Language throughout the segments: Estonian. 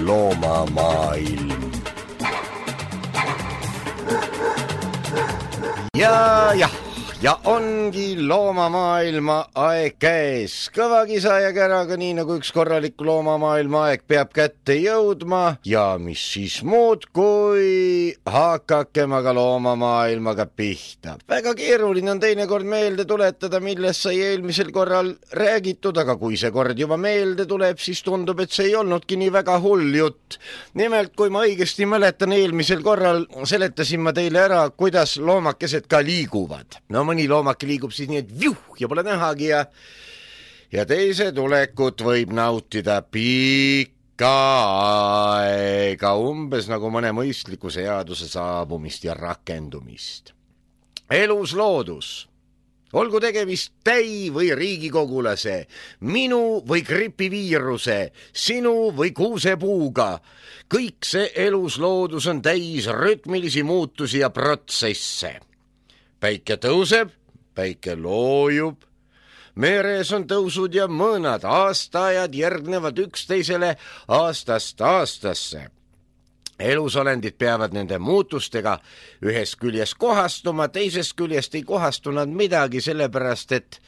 Loomamaailm. Ja ongi loomamaailma aeg käes. Kõva kisa ja käraga, nii nagu üks korralik loomamaailma aeg peab kätte jõudma. Ja mis siis muud, kui hakakem aga loomamaailmaga pihta. Väga keeruline on teinekord meelde tuletada, millest sai eelmisel korral räägitud, aga kui see kord juba meelde tuleb, siis tundub, et see ei olnudki nii väga hull jutt. Nimelt, kui ma õigesti mäletan, eelmisel korral seletasin ma teile ära, kuidas loomakesed ka liiguvad. No mõni loomake liigub siis nii, et viuh ja pole nähagi ja teise tulekut võib nautida pikka aega, umbes nagu mõne mõistliku seaduse saabumist ja rakendumist. Elus loodus, olgu tegemist täi või riigikogulase, minu või gripiviiruse, sinu või kuusepuuga, kõik see elus loodus on täis rütmilisi muutusi ja protsesse. Päike tõuseb, päike loojub, meres on tõusud ja mõõnad, aastaajad järgnevad üksteisele aastast aastasse. Elusolendid peavad nende muutustega ühest küljest kohastuma, teisest küljest ei kohastu nad midagi, sellepärast et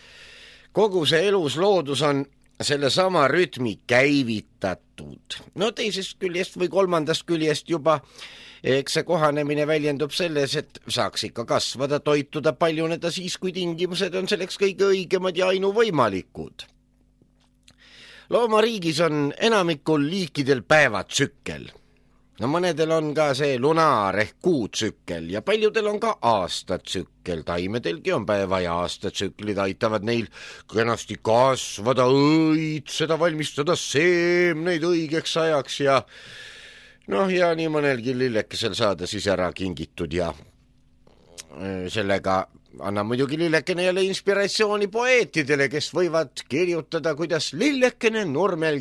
kogu see elus loodus on selle sama rütmi käivitatud. No teisest küljest või kolmandast küljest juba eks see kohanemine väljendub selles, et saaks ikka kasvada, toituda, paljuneda siis, kui tingimused on selleks kõige õigemad ja ainuvõimalikud. Loomariigis on enamikul liikidel päevatsükkel. No mõnedel on ka see lunaar ehk kuutsükkel ja paljudel on ka aastatsükkel. Taimedelgi on päeva- ja aastatsüklid, aitavad neil kenasti kasvada, õitseda, valmistada seemneid õigeks ajaks ja ja nii mõnelgi lillekesel saada siis ära kingitud ja sellega annab muidugi lillekene jälle inspiratsiooni poeetidele, kes võivad kirjutada, kuidas lillekene nurmel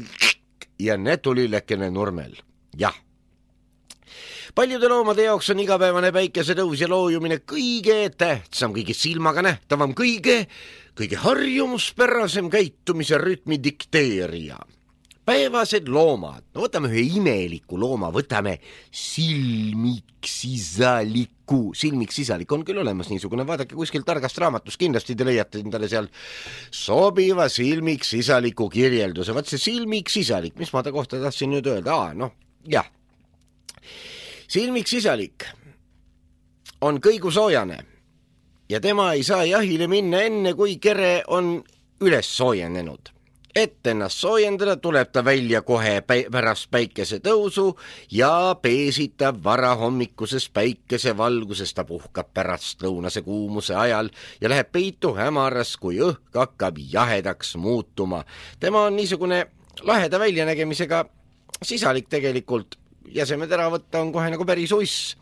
ja netulillekene nurmel. Jah. Paljude loomade jaoks on igapäevane päikesetõus ja loojumine kõige tähtsam, kõige silmaga nähtavam, kõige harjumuspärasem käitumise rütmi dikteerija. Päevased loomad, no võtame ühe imeliku looma, võtame silmiksisaliku. Silmiksisalik on küll olemas niisugune, vaadake kuskil targast raamatust, kindlasti te leiate endale seal sobiva silmiksisaliku kirjelduse. Vaat see silmiksisalik, mis ma ta kohta tahtsin nüüd öelda? Silmiksisalik on kõigusoojane ja tema ei saa jahile minna enne, kui kere on üles soojenenud. Et ennast soojendada, tuleb ta välja kohe pärast päikese tõusu ja peesitab varahommikuses päikesevalguses, ta puhkab pärast lõunase kuumuse ajal ja läheb peitu hämaras, kui õhk hakkab jahedaks muutuma. Tema on niisugune laheda väljanägemisega sisalik tegelikult, jäsemed ära võtta on kohe nagu päris uss,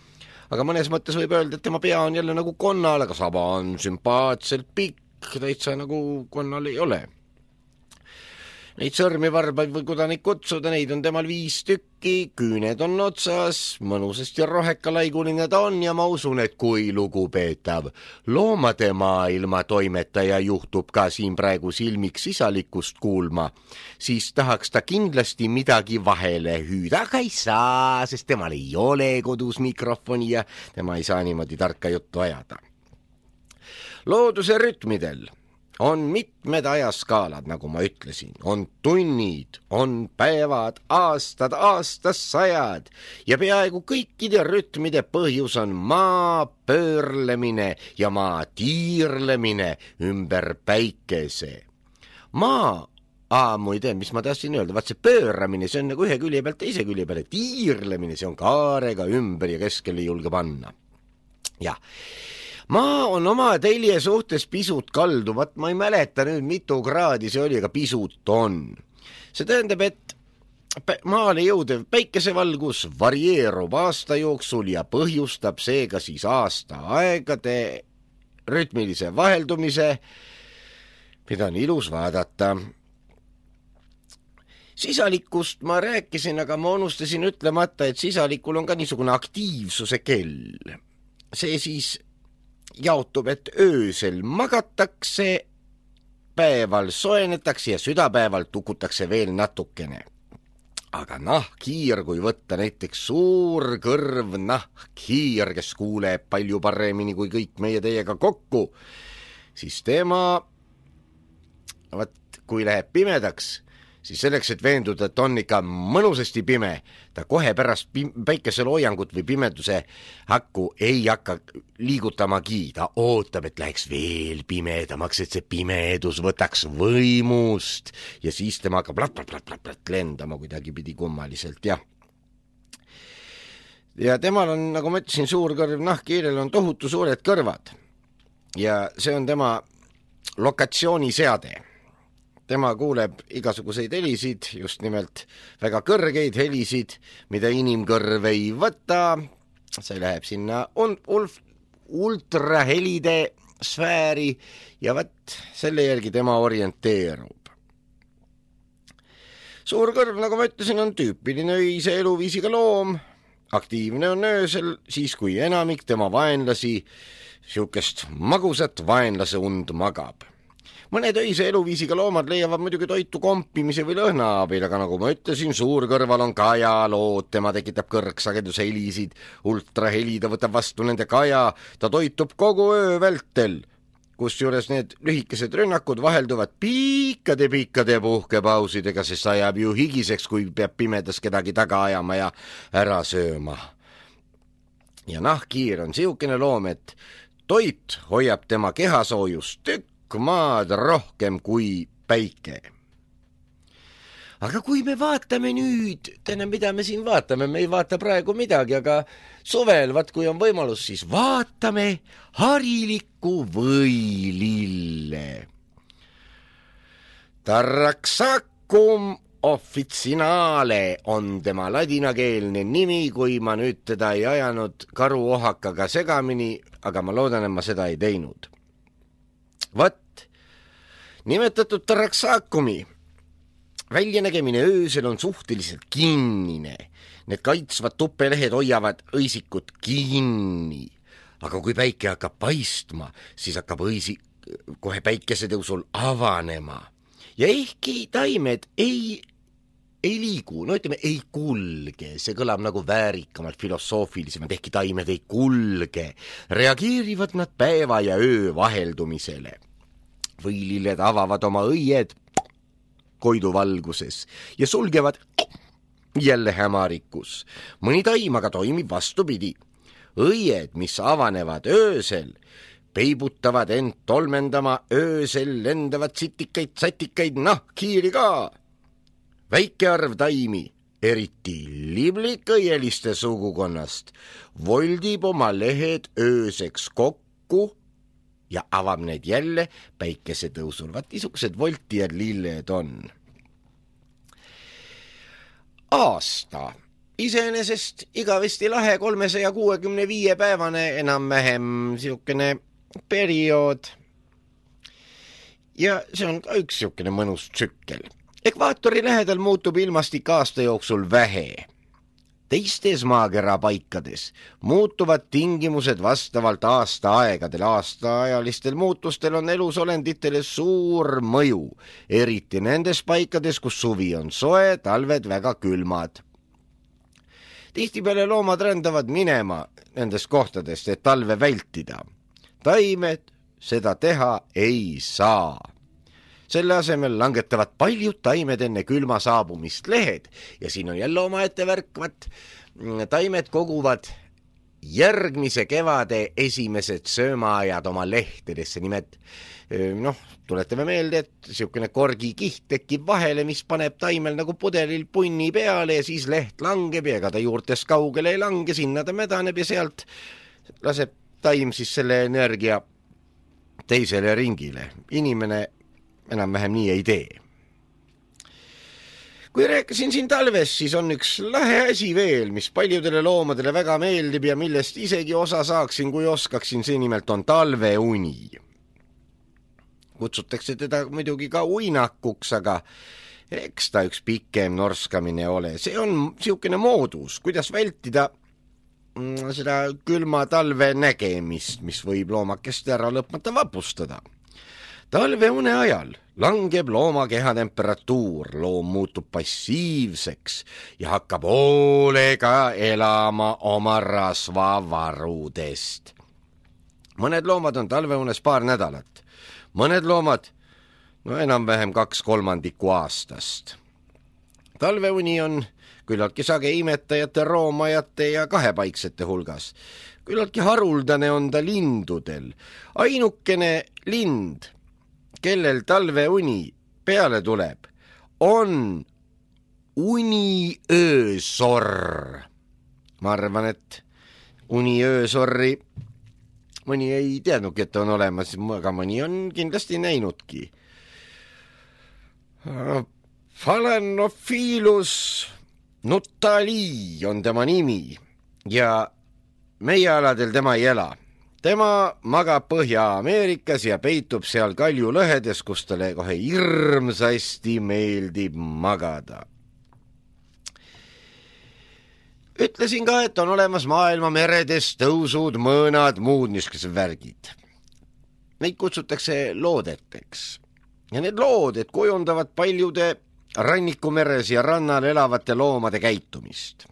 aga mõnes mõttes võib öelda, et tema pea on jälle nagu konnal, aga saba on sümpaatselt pikk, täitsa nagu konnal ei ole. Neid sõrmivarbaid või kudanik kutsuda, neid on temal 5 tükki, küüned on otsas, mõnusast ja rohekalaiguline ta on ja ma usun, et kui lugupeetav loomade maailma toimetaja juhtub ka siin praegu silmiksisalikust kuulma, siis tahaks ta kindlasti midagi vahele hüüda, aga ei saa, sest temal ei ole kodus mikrofoni ja tema ei saa niimoodi tarka juttu ajada. Looduse rütmidel on mitmed ajaskaalad, nagu ma ütlesin, on tunnid, on päevad, aastad, aastasajad ja peaaegu kõikide rütmide põhjus on maa pöörlemine ja maa tiirlemine ümber päikese. Muide, mis ma tahtsin öelda, vaat see pööramine, see on nagu ühe külje pealt teise külje peale, tiirlemine, see on kaarega ümber ja keskele ei julge panna. Jah. Maa on oma telje suhtes pisut kalduvat, ma ei mäleta nüüd mitu kraadi see oli, aga pisut on. See tähendab, et maale jõudev päikesevalgus varieerub aasta jooksul ja põhjustab seega siis aasta aegade rütmilise vaheldumise, mida on ilus vaadata. Sisalikust ma rääkisin, aga ma unustasin ütlemata, et sisalikul on ka niisugune aktiivsuse kell. See siis jaotub, et öösel magatakse keskpäeval soenetakse ja südapäeval tukutakse veel natukene. Aga nahkhiir, kui võtta näiteks suur kõrv nahkhiir, kes kuuleb palju paremini kui kõik meie teiega kokku, siis tema, kui läheb pimedaks, siis selleks, et veenduda, et on ikka mõnusasti pime, ta kohe pärast päikeseloojangut või pimeduse hakku ei hakka liigutamagi, ta ootab, et läheks veel pimedamaks, et see pimedus võtaks võimust ja siis tema hakkab plat lendama kuidagi pidi kummaliselt, jah. Ja temal on, nagu ma ütlesin, suur kõrv nahkhiirel on tohutu suured kõrvad ja see on tema lokatsiooniseade. Tema kuuleb igasuguseid helisid, just nimelt väga kõrgeid helisid, mida inimkõrv ei võta. See läheb sinna ultrahelide sfääri ja võt selle järgi tema orienteerub. Suur kõrv, nagu ma ütlesin, on tüüpiline öise eluviisiga loom. Aktiivne on öösel, siis kui enamik tema vaenlasi siukest magusat vaenlase und magab. Mõned öise eluviisiga loomad leiavad muidugi toitu kompimise või lõhna abil, aga nagu ma ütlesin, suur kõrval on kajalood, tema tekitab kõrgsageduse helisid, ultraheli, ta võtab vastu nende kaja, ta toitub kogu öö vältel, kusjuures need lühikesed rünnakud vahelduvad piikade puhkepausidega, sest ajab ju higiseks, kui peab pimedas kedagi taga ajama ja ära sööma. Ja nahkhiir on siukene loom, et toit hoiab tema kehasoojust maad rohkem kui päike. Aga kui me vaatame nüüd, mida me siin vaatame, me ei vaata praegu midagi, aga suvel, kui on võimalus, siis vaatame harilikku võilille. Taraxacum officinale on tema ladinakeelne nimi, kui ma nüüd teda ei ajanud karuohakaga segamini, aga ma loodan, et ma seda ei teinud. Nimetatud Taraxacumi väljanägemine öösel on suhteliselt kinnine. Need kaitsvad tupelehed hoiavad õisikut kinni. Aga kui päike hakkab paistma, siis hakkab kohe päikesetõusul avanema. Ja ehkki taimed ei liigu, ei kulge, see kõlab nagu väärikamalt, filosoofilisemalt, ehkki taimed ei kulge, reageerivad nad päeva ja öö vaheldumisele. Võililled avavad oma õied koiduvalguses ja sulgevad jälle hämarikus. Mõni taim aga toimib vastupidi. Õied, mis avanevad öösel, peibutavad end tolmendama öösel lendavad satikaid nahkhiiri ka. Väike arv taimi, eriti liblikõieliste sugukonnast, voldib oma lehed ööseks kokku ja avab need jälle päikesetõusul. Niisugused voltijad lilled on. Aasta. Iseenesest igavesti lahe 365 päevane enam-vähem siukene periood. Ja see on ka üks siukene mõnus tsükkel. Ekvaatori lähedal muutub ilmastik aasta jooksul vähe. Teistes maakera paikades muutuvad tingimused vastavalt aastaaegadel. Aastaajalistel muutustel on elusolenditele suur mõju, eriti nendes paikades, kus suvi on soe, talved väga külmad. Tihtipeale loomad rändavad minema nendest kohtadest, et talve vältida. Taimed seda teha ei saa. Selle asemel langetavad paljud taimed enne külma saabumist lehed ja siin on jälle omaette värkvat. Taimed koguvad järgmise kevade esimesed söömaajad oma lehtedesse. Nimelt, tuletame meelde, et siukene korgikiht tekib vahele, mis paneb taimel nagu pudelil punni peale ja siis leht langeb ja ega ta juurtest kaugele ei lange, sinna ta mädaneb ja sealt laseb taim siis selle energia teisele ringile. Inimene enam-vähem nii ei tee. Kui rääkisin siin talvest, siis on üks lahe asi veel, mis paljudele loomadele väga meeldib ja millest isegi osa saaksin, kui oskaksin, see nimelt on talveuni. Kutsutakse teda muidugi ka uinakuks, aga eks ta üks pikem norskamine ole. See on siukene moodus, kuidas vältida seda külma talve nägemist, mis võib loomakest ära lõpmata vapustada. Talveune ajal langeb looma kehatemperatuur, loom muutub passiivseks ja hakkab hoolega elama oma rasvavarudest. Mõned loomad on talveunes paar nädalat, mõned loomad enam-vähem 2/3 aastast. Talveuni on küllaltki sage imetajate, roomajate ja kahepaiksete hulgas. Küllaltki haruldane on ta lindudel. Ainukene lind, kellel talveuni peale tuleb, on uniöösorr. Ma arvan, et uniöösorri mõni ei teadnudki, et on olemas, aga mõni on kindlasti näinudki. Phalaenophyllus nuttali on tema nimi ja meie aladel tema ei ela. Tema magab Põhja-Ameerikas ja peitub seal kaljulõhedes, kus talle kohe hirmsasti meeldib magada. Ütlesin ka, et on olemas maailma meredes tõusud, mõõnad, muud niisugused värgid. Neid kutsutakse loodeteks. Ja need looded kujundavad paljude rannikumeres ja rannal elavate loomade käitumist.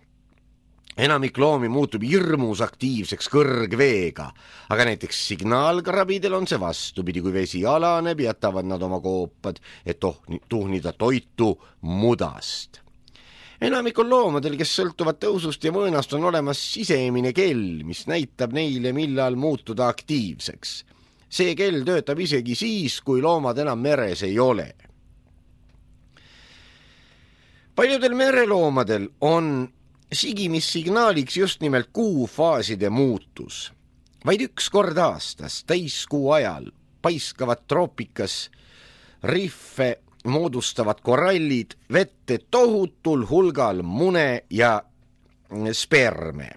Enamik loomi muutub hirmus aktiivseks kõrgveega, aga näiteks signaalkrabidel on see vastupidi, kui vesi alaneb, jätavad nad oma koopad, et tuhnida toitu mudast. Enamikul loomadel, kes sõltuvad tõusust ja mõõnast, on olemas sisemine kell, mis näitab neile, millal muutuda aktiivseks. See kell töötab isegi siis, kui loomad enam meres ei ole. Paljudel mereloomadel on sigimissignaaliks just nimelt kuufaaside muutus. Vaid üks kord aastas, täiskuu ajal, paiskavad troopikas riffe moodustavad korallid vette tohutul hulgal mune ja sperme.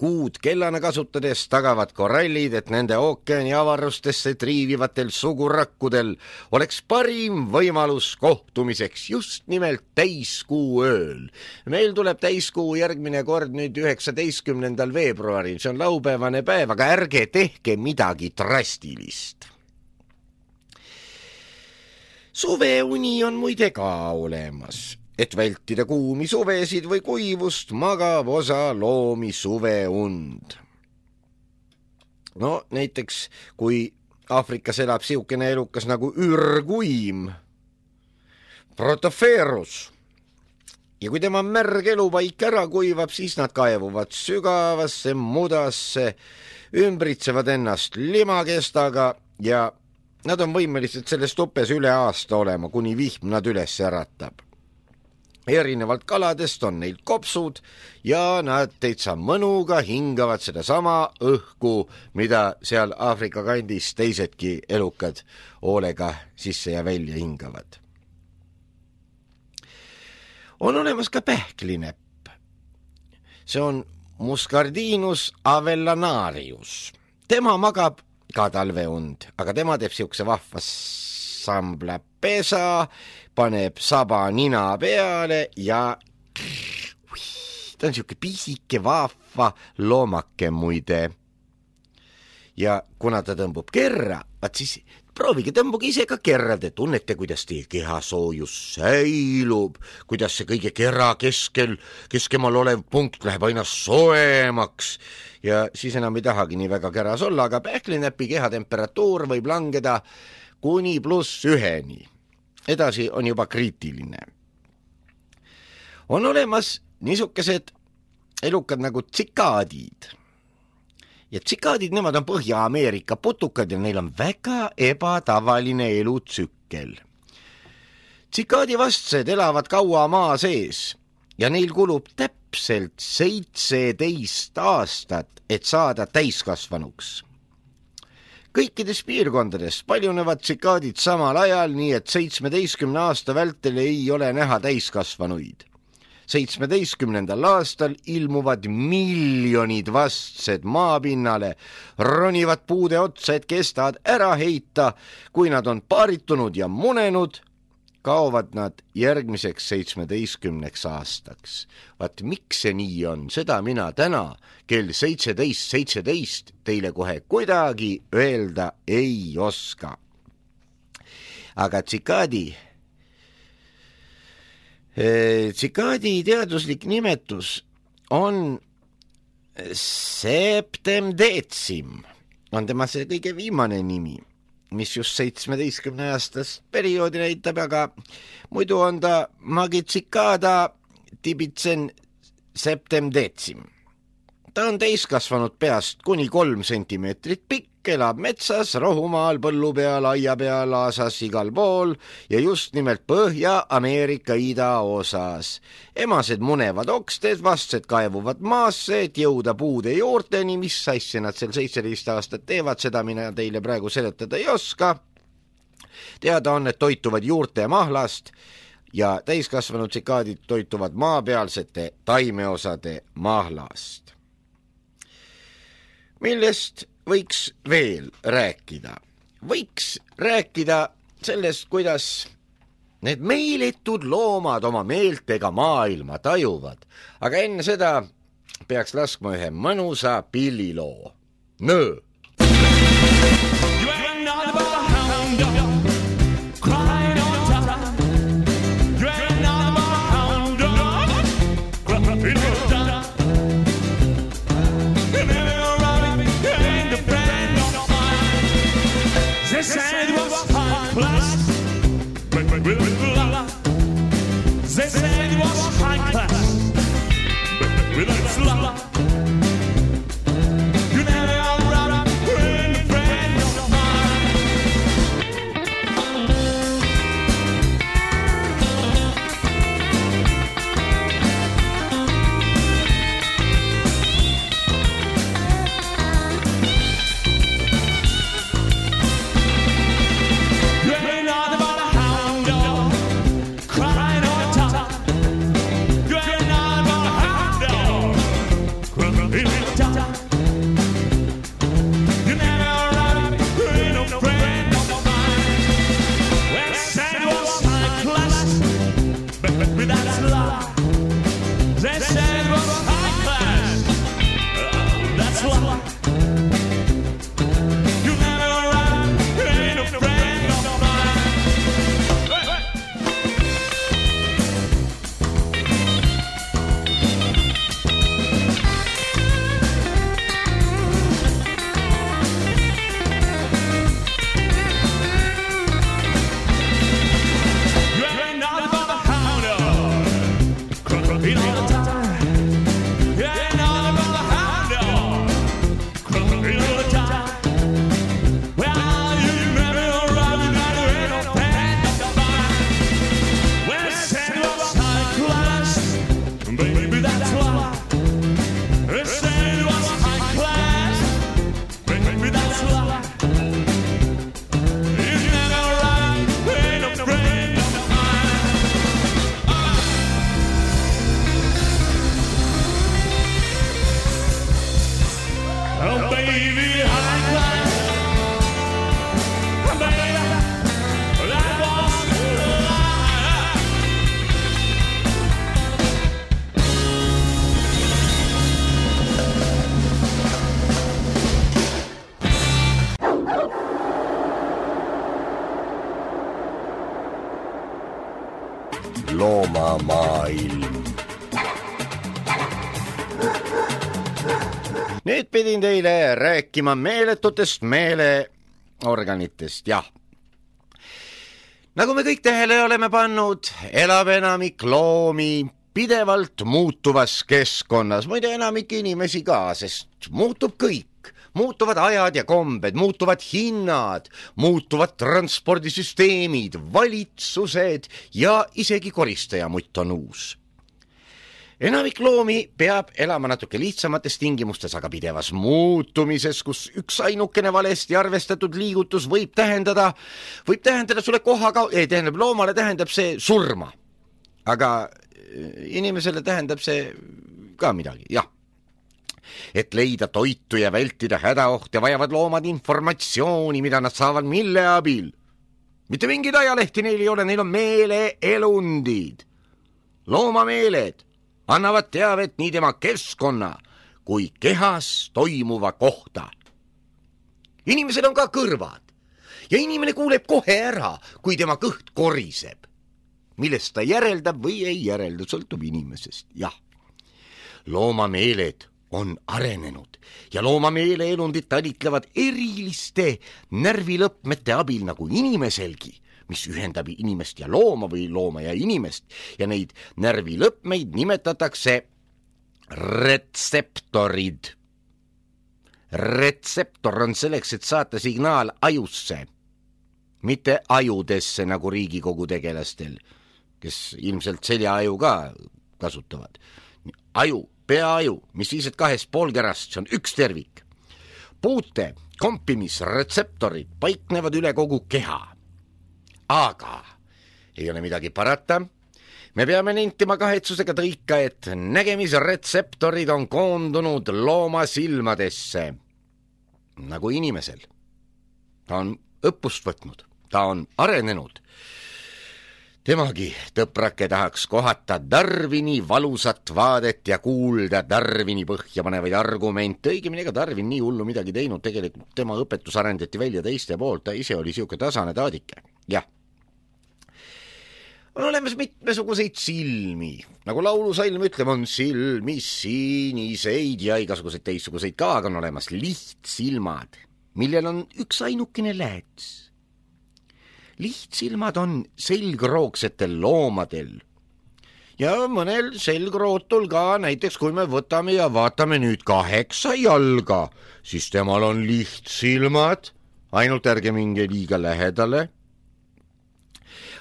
Kuud kellana kasutades tagavad korallid, et nende ookeani avarustesse triivivatel sugurakkudel oleks parim võimalus kohtumiseks just nimelt täiskuu ööl. Meil tuleb täiskuu järgmine kord nüüd 19. veebruaril, see on laupäevane päev, aga ärge tehke midagi drastilist. Suveuni on muide ka olemas. Et vältida kuumi suvesid või kuivust, magab osa loomi suveund. No näiteks, kui Aafrikas elab siukene elukas nagu ürguim, Protoferus, ja kui tema märg elupaik ära kuivab, siis nad kaevuvad sügavasse mudasse, ümbritsevad ennast limakestaga ja nad on võimelised selles tupes üle aasta olema, kuni vihm nad üles äratab. Erinevalt kaladest on neil kopsud ja nad täitsa mõnuga hingavad seda sama õhku, mida seal Aafrika kandis teisedki elukad hoolega sisse ja välja hingavad. On olemas ka pähklinepp. See on Muscardinus avellanarius. Tema magab ka talveund, aga tema teeb siukse vahva samblapesa, paneb saba nina peale ja ta on siuke pisike vahva loomake muide. Ja kuna ta tõmbub kerra, vaat siis proovige tõmbuge ise ka kerra, te tunnete, kuidas teie kehasoojus säilub, kuidas see kõige kerra keskemal olev punkt läheb aina soemaks ja siis enam ei tahagi nii väga keras olla, aga pähklinäpi kehatemperatuur võib langeda kuni +1. Edasi on juba kriitiline. On olemas niisugused elukad nagu tsikaadid. Ja tsikaadid, nemad on Põhja-Ameerika putukad ja neil on väga ebatavaline elutsükkel. Tsikaadivastsed elavad kaua maa sees ja neil kulub täpselt 17 aastat, et saada täiskasvanuks. Kõikides piirkondades paljunevad tsikaadid samal ajal, nii et 17 aasta vältel ei ole näha täiskasvanuid. 17. aastal ilmuvad miljonid vastsed maapinnale, ronivad puude otsa, et kestavad ära heita. Kui nad on paaritunud ja munenud, kaovad nad järgmiseks 17 aastaks. Vaat miks see nii on, seda mina täna kell 17.17 teile kohe kuidagi öelda ei oska. aga tsikaadi teaduslik nimetus on septemdecim, on tema see kõige viimane nimi, mis just 17-aastast perioodi näitab, aga muidu on ta magicicada tibitsen septemdecim. Ta on täiskasvanud peast kuni 3 sentimeetrit pikk, elab metsas, rohumaal, põllu peal, aia peal, aasas, igal pool ja just nimelt Põhja-Ameerika idaosas. Emased munevad oksted, vastsed kaevuvad maasse, et jõuda puude juurteni, mis asja nad seal 17 aastat teevad, seda mina teile praegu seletada ei oska. Teada on, et toituvad juurte ja mahlast ja täiskasvanud tsikaadid toituvad maapealsete taimeosade mahlast. Millest võiks veel rääkida? Võiks rääkida sellest, kuidas need meeletud loomad oma meeltega maailma tajuvad. Aga enne seda peaks laskma ühe mõnusa pilliloo. Nöö! They said it was high class, with a slap. You never run with a friend of mine. You ain't not about a hound dog crying on top. You ain't not about a hound dog crying on top. You never run with no friend of mine. Well, said it was high class, but with that slap. They said it was high class, that's slap. You never run with no friend of mine. You ain't not about the hound dog, crying all the time. You ain't not about the hound dog, crying all the time. Well, you never run with no friend of mine. Well, said it was high class, baby, that's why. They said it was high class, baby, that's why. You never run with no friend of mine. Oh, baby, high class, baby, that was the lie. Loomamaailm. Nüüd pidin teile rääkima meeletutest meeleorganitest, jah. Nagu me kõik tähele oleme pannud, elab enamik loomi pidevalt muutuvas keskkonnas, muide enamik inimesi ka, sest muutub kõik. Muutuvad ajad ja kombed, muutuvad hinnad, muutuvad transpordisüsteemid, valitsused ja isegi koristajamutt on uus. Enamik loomi peab elama natuke lihtsamates tingimustes, aga pidevas muutumises, kus üks ainukene valesti arvestatud liigutus võib tähendada sulle loomale tähendab see surma. Aga inimesele tähendab see ka midagi, jah. Et leida toitu ja vältida hädaohte vajavad loomad informatsiooni, mida nad saavad mille abil. Mitte mingid ajalehti neil ei ole, neil on meeleelundid. Loomameeled annavad teavet nii tema keskkonna kui kehas toimuva kohta. Inimesel on ka kõrvad ja inimene kuuleb kohe ära, kui tema kõht koriseb. Millest ta järeldab või ei järelda, sõltub inimesest, jah. Loomameeled on arenenud ja loomameeleelundid talitlevad eriliste närvilõpmete abil nagu inimeselgi, mis ühendab inimest ja looma või looma ja inimest, ja neid närvilõpmeid nimetatakse retseptorid. Retseptor on selleks, et saata signaal ajusse, mitte ajudesse nagu Riigikogu tegelastel, kes ilmselt seljaaju ka kasutavad. Aju, peaaju, mis siis, et 2 poolkerast, see on üks tervik. Puute kompimisretseptorid paiknevad üle kogu keha. Aga ei ole midagi parata. Me peame nentima kahetsusega tõika, et nägemisretseptorid on koondunud looma silmadesse. Nagu inimesel. Ta on õppust võtnud, ta on arenenud. Temagi tõprake tahaks kohata Darwini valusat vaadet ja kuulda Darwini põhja panevaid argumente. Õigemini ega Darwin nii hullu midagi teinud, tegelikult tema õpetus arendati välja teiste poolt, ta ise oli siuke tasane taadike. Jah. On olemas mitmesuguseid silmi, nagu laulusalm ütleb, on silmi siniseid ja igasuguseid teistsuguseid ka, aga on olemas lihtsilmad, millel on üks ainukene lääts. Lihtsilmad on selgroogsetel loomadel ja mõnel selgrootul ka, näiteks kui me võtame ja vaatame nüüd 8 jalga, siis temal on lihtsilmad, ainult ärge minge liiga lähedale.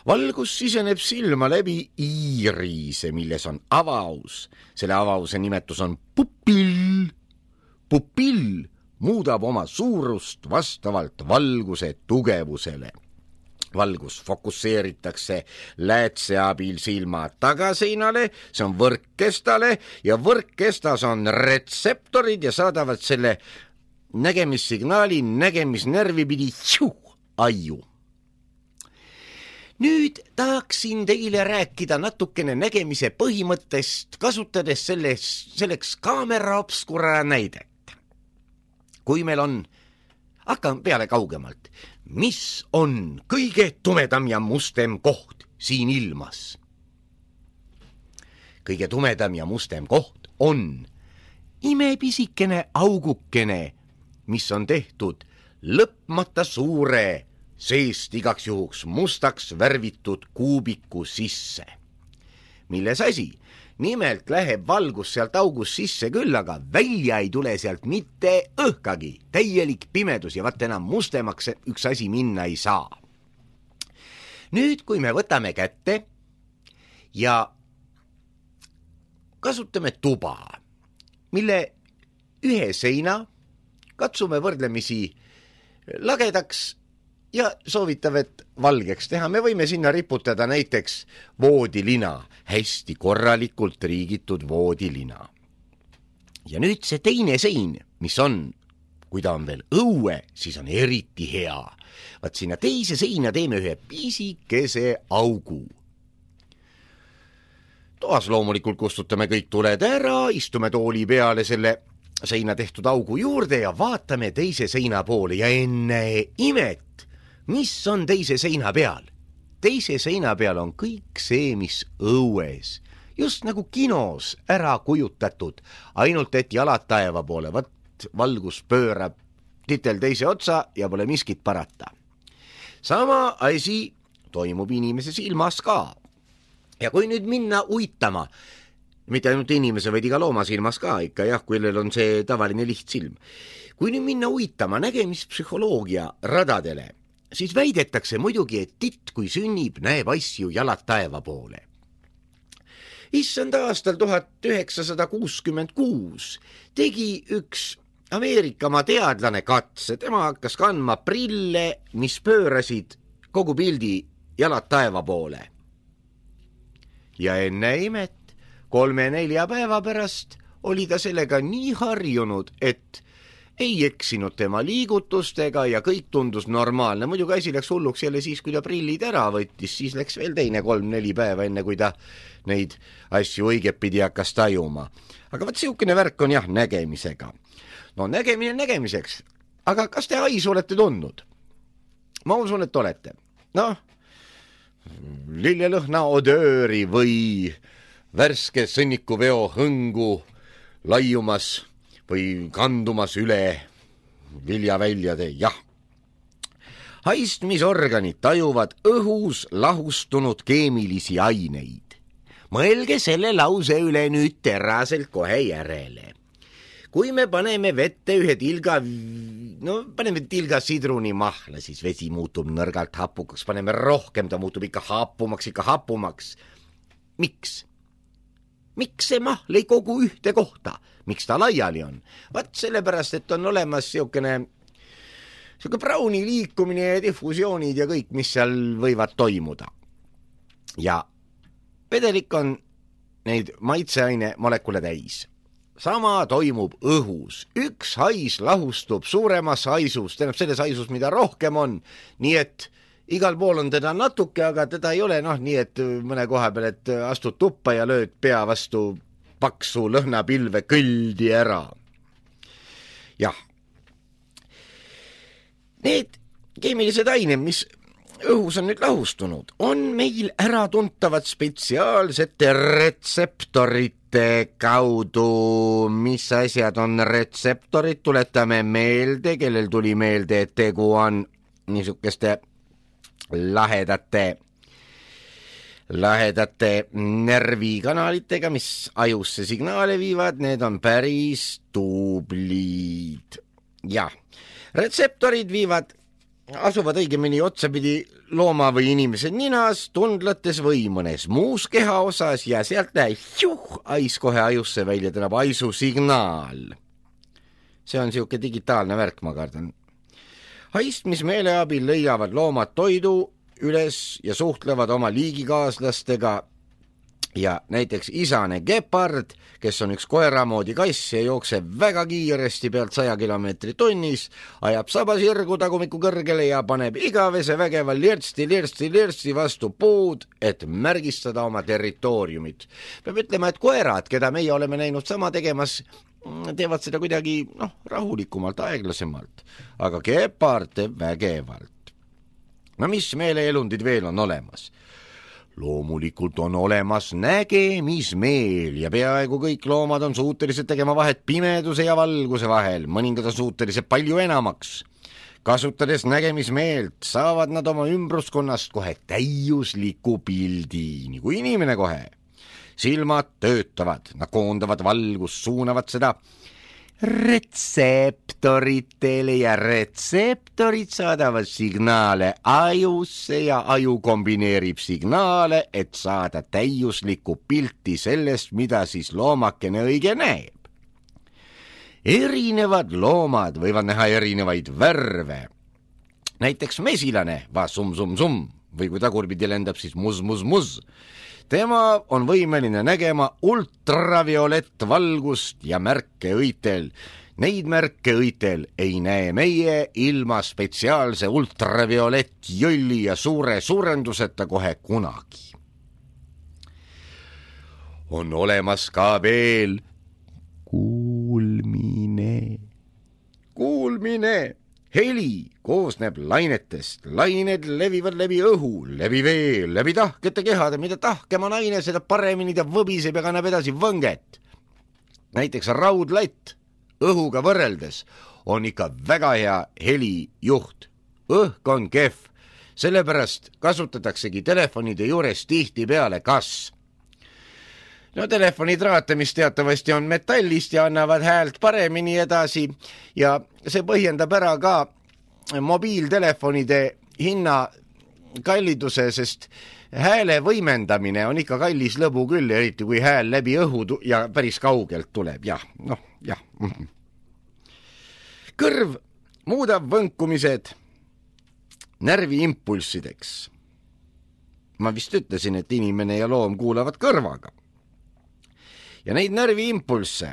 Valgus siseneb silma läbi iirise, milles on avaus. Selle avause nimetus on pupill. Pupill muudab oma suurust vastavalt valguse tugevusele. Valgus fokusseeritakse läätse abil silma tagaseinale, see on võrkkestale ja võrkkestas on retseptorid ja saadavad selle nägemissignaali nägemisnärvi pidi aju. Nüüd tahaksin teile rääkida natukene nägemise põhimõttest, kasutades selleks kaamera obskura näidet. Kui meil on, hakkan peale kaugemalt, mis on kõige tumedam ja mustem koht siin ilmas? Kõige tumedam ja mustem koht on imepisikene augukene, mis on tehtud lõpmata suure seest igaks juhuks mustaks värvitud kuubiku sisse. Milles asi? Nimelt läheb valgus sealt august sisse küll, aga välja ei tule sealt mitte õhkagi. Täielik pimedus ja vaat enam mustemaks üks asi minna ei saa. Nüüd, kui me võtame kätte ja kasutame tuba, mille ühe seina katsume võrdlemisi lagedaks ja soovitav, et valgeks teha. Me võime sinna riputada näiteks voodilina, hästi korralikult riigitud voodilina. Ja nüüd see teine sein, mis on, kui ta on veel õue, siis on eriti hea. Vaat sinna teise seina teeme ühe pisikese augu. Toas loomulikult kustutame kõik tuled ära, istume tooli peale selle seina tehtud augu juurde ja vaatame teise seina poole ja enne imet, mis on teise seina peal? Teise seina peal on kõik see, mis õues, just nagu kinos ära kujutatud, ainult et jalad taeva poole, võt valgus pöörab titel teise otsa ja pole miskit parata. Sama asi toimub inimese silmas ka. Ja kui nüüd minna uitama, mitte ainult inimese, vaid iga looma silmas ka ikka, jah, kellel on see tavaline lihtsilm. Kui nüüd minna uitama nägemispsühholoogia radadele, siis väidetakse muidugi, et titt, kui sünnib, näeb asju jalad taeva poole. Issand aastal 1966 tegi üks Ameerikamaa teadlane katse. Tema hakkas kandma prille, mis pöörasid kogu pildi jalad taeva poole. Ja enne imet 3-4 päeva pärast oli ta sellega nii harjunud, et ei eksinud tema liigutustega ja kõik tundus normaalne. Muidugi asi läks hulluks jälle siis, kui ta prillid ära võttis, siis läks veel teine 3-4 päeva enne, kui ta neid asju õigepidi hakkas tajuma. Aga vaat siukene värk on jah nägemisega. No nägemine nägemiseks, aga kas te haisu olete tundnud? ma usun, et olete. Noh, lillelõhna odööri või värske sõnnikuveo hõngu laiumas või kandumas üle viljaväljade, jah. Haistmisorganid tajuvad õhus lahustunud keemilisi aineid. Mõelge selle lause üle nüüd teraselt kohe järele. Kui me paneme vette ühe paneme tilga sidruni mahla, siis vesi muutub nõrgalt hapukaks, paneme rohkem, ta muutub ikka hapumaks. Miks? Miks see mahl ei kogu ühte kohta? Miks ta laiali on? Vaat sellepärast, et on olemas siukene Browni liikumine ja diffusioonid ja kõik, mis seal võivad toimuda. Ja vedelik on neid maitseaine molekule täis. Sama toimub õhus. Üks hais lahustub suuremas haisus, tähendab selles haisus, mida rohkem on, nii et igal pool on teda natuke, aga teda ei ole nii et mõne koha peal, et astud tuppa ja lööd pea vastu paksu lõhnapilve kõldi ära. Jah. Need keemilised ained, mis õhus on nüüd lahustunud, on meil äratuntavad spetsiaalsete retseptorite kaudu. Mis asjad on retseptorid? Tuletame meelde, kellel tuli meelde, et tegu on niisugeste lahedate närvikanalitega, mis ajusse signaale viivad, need on päris tublid. Jah, retseptorid asuvad õigemini otsapidi looma või inimese ninas, tundlates või mõnes muus keha osas ja sealt ais kohe ajusse välja, tähendab aisusignaal. See on siuke digitaalne värk, ma kardan. Haistmismeele abil lõigavad loomad toidu üles ja suhtlevad oma liigikaaslastega ja näiteks isane gepard, kes on üks koeramoodi kass ja jookseb väga kiiresti pealt 100 kilomeetrit tunnis, ajab sabasirgu tagumiku kõrgele ja paneb igavese vägeva lirtsti vastu puud, et märgistada oma territooriumit. Peab ütlema, et koerad, keda meie oleme näinud sama tegemas, teevad seda kuidagi rahulikumalt, aeglasemalt, aga gepard teeb vägevalt. No mis meeleelundid veel on olemas? Loomulikult on olemas nägemismeel ja peaaegu kõik loomad on suutelised tegema vahet pimeduse ja valguse vahel, mõningad on suutelised palju enamaks. Kasutades nägemismeelt saavad nad oma ümbruskonnast kohe täiusliku pildi, nagu inimene kohe. Silmad töötavad, nad koondavad valgust, suunavad seda retseptoritele ja retseptorid saadavad signaale ajusse ja aju kombineerib signaale, et saada täiuslikku pilti sellest, mida siis loomakene õige näeb. Erinevad loomad võivad näha erinevaid värve. Näiteks mesilane va sum või kui tagurpidi lendab, siis mus. Tema on võimeline nägema ultraviolettvalgust ja märke õitel. Neid märke õitel ei näe meie ilma spetsiaalse ultraviolettjõlli ja suure suurenduseta kohe kunagi. On olemas ka veel kuulmine. Heli koosneb lainetest. Lained levivad läbi õhu, läbi vee, läbi tahkete kehade. Mida tahkem on aine, seda paremini ta võbiseb ja kannab edasi võnget. Näiteks raudlatt õhuga võrreldes on ikka väga hea helijuht. Õhk on kehv, sellepärast kasutataksegi telefonide juures tihti peale kas. No telefonitraate, mis teatavasti on metallist ja annavad häält paremini edasi ja see põhjendab ära ka mobiiltelefonide hinna kalliduse, sest hääle võimendamine on ikka kallis lõbu küll, eriti kui hääl läbi õhu ja päris kaugelt tuleb. Jah. Kõrv muudab võnkumised närviimpulssideks. Ma vist ütlesin, et inimene ja loom kuulavad kõrvaga. Ja neid närviimpulsse,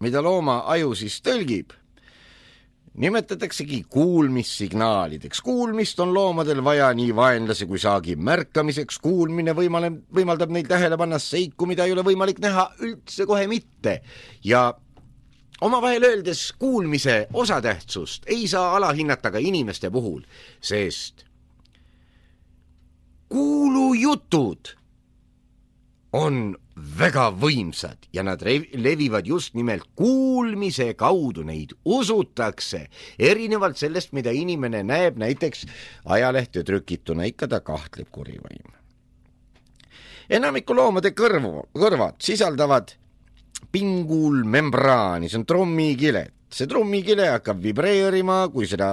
mida looma aju siis tõlgib, nimetataksegi kuulmissignaalideks. Kuulmist on loomadel vaja nii vaenlase kui saagi märkamiseks. Kuulmine võimaldab neil tähele panna seiku, mida ei ole võimalik näha üldse kohe mitte. Ja omavahel öeldes kuulmise osatähtsust ei saa alahinnata ka inimeste puhul, sest kuulujutud on väga võimsad ja nad levivad just nimelt kuulmise kaudu, neid usutakse, erinevalt sellest, mida inimene näeb, näiteks ajalehte trükituna, ikka ta kahtleb kurivaim. Enamiku loomade kõrvad sisaldavad pinguulmembraani, see on trummikilet. See trummikile hakkab vibreerima, kui seda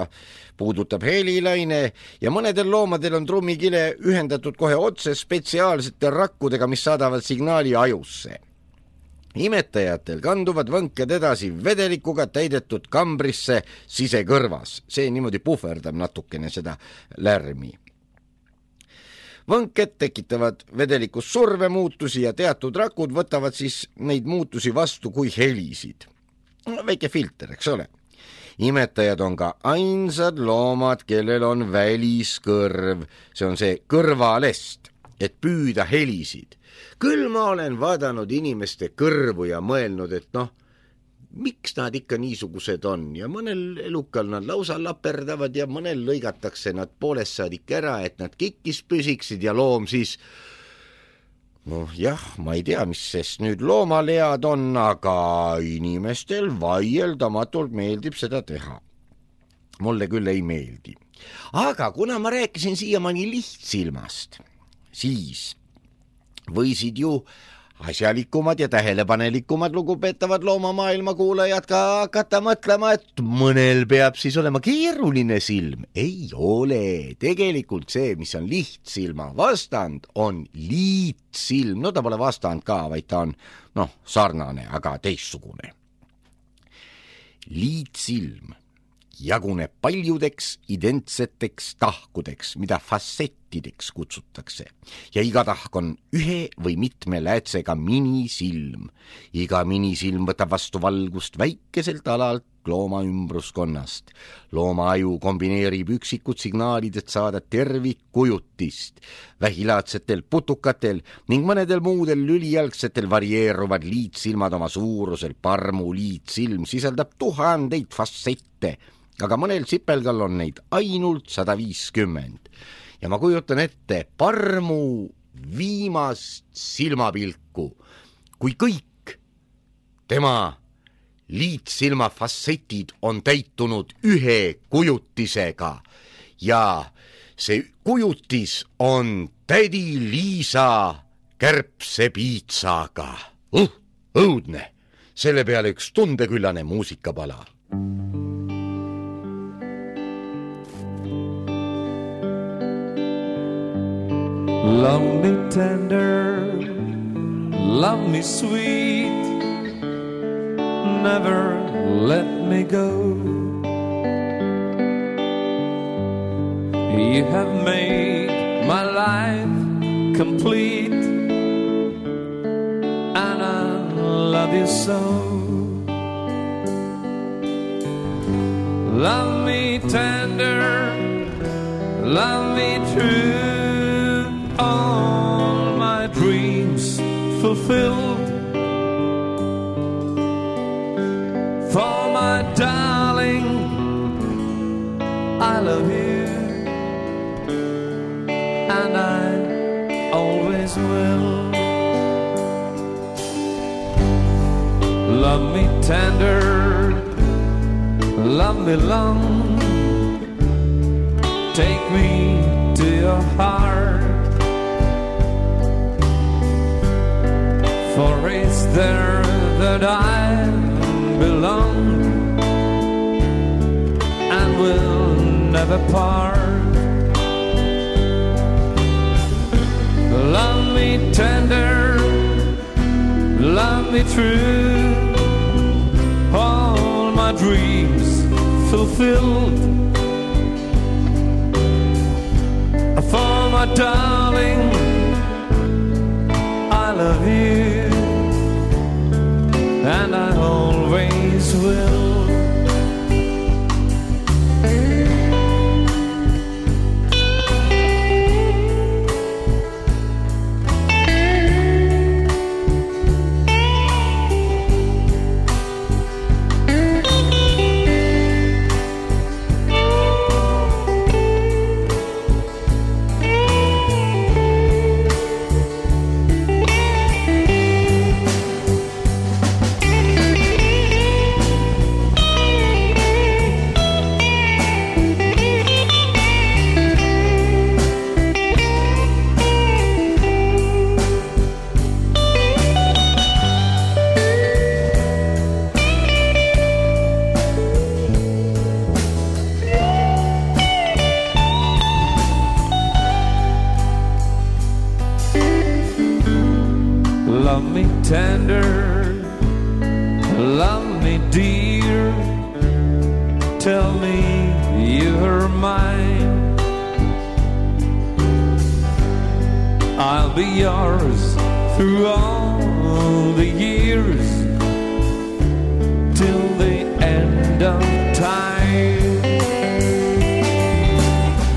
puudutab helilaine ja mõnedel loomadel on trummikile ühendatud kohe otse spetsiaalsete rakkudega, mis saadavad signaali ajusse. Imetajatel kanduvad võnked edasi vedelikuga täidetud kambrisse sisekõrvas. See niimoodi puhverdab natukene seda lärmi. Võnked tekitavad vedelikus survemuutusi ja teatud rakud võtavad siis neid muutusi vastu kui helisid. Väike filter, eks ole. Imetajad on ka ainsad loomad, kellel on väliskõrv. See on see kõrvalest, et püüda helisid. Küll ma olen vaadanud inimeste kõrvu ja mõelnud, et miks nad ikka niisugused on ja mõnel elukal nad lausa laperdavad ja mõnel lõigatakse nad poolest saadik ära, et nad kikkis püsiksid ja loom siis jah, ma ei tea, mis sest nüüd loomalead on, aga inimestel vaieldamatult meeldib seda teha. Mulle küll ei meeldi. Aga kuna ma rääkisin siiamaani lihtsilmast, siis võisid ju asjalikumad ja tähelepanelikumad lugupeetavad loomamaailma kuulajad ka hakata mõtlema, et mõnel peab siis olema keeruline silm. Ei ole. Tegelikult see, mis on lihtsilma vastand, on liitsilm. Ta pole vastand ka, vaid ta on sarnane, aga teistsugune. Liitsilm jaguneb paljudeks identseteks tahkudeks, mida fassettideks kutsutakse. Ja iga tahk on ühe või mitme läätsega minisilm. Iga minisilm võtab vastu valgust väikeselt alalt looma ümbruskonnast. Looma aju kombineerib üksikud signaalid, et saada tervikkujutist. Vähilaadsetel putukatel ning mõnedel muudel lülijalgsetel varieeruvad liitsilmad oma suurusel. Parmu liitsilm sisaldab 1000 fassette, aga mõnel sipelgal on neid ainult 150. Ja ma kujutan ette parmu viimast silmapilku, kui kõik tema liitsilma fassetid on täitunud ühe kujutisega ja see kujutis on tädi Liisa kärbsepiitsaga. Õudne, selle peale üks tundeküllane muusikapala. Love me tender, love me sweet, never let me go. You have made my life complete, and I love you so. Love me tender, love me true, all my dreams fulfilled. For my darling, I love you, and I always will. Love me tender, love me long, take me to your heart. For it's there that I belong and will never part. Love me tender, love me true, all my dreams fulfilled. For my darling, I love you, and I always will. love me tender, love me dear, tell me you're mine. I'll be yours through all the years, till the end of time.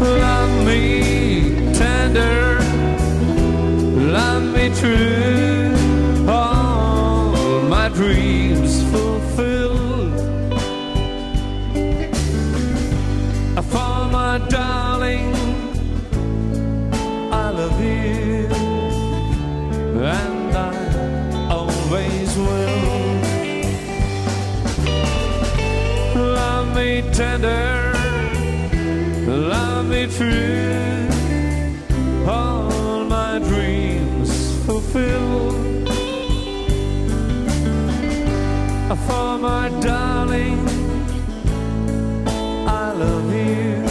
Love me tender, love me true, all my dreams fulfilled. For my darling, I love you, and I always will. Love me tender, love me true, all my dreams fulfilled. For my darling, I love you,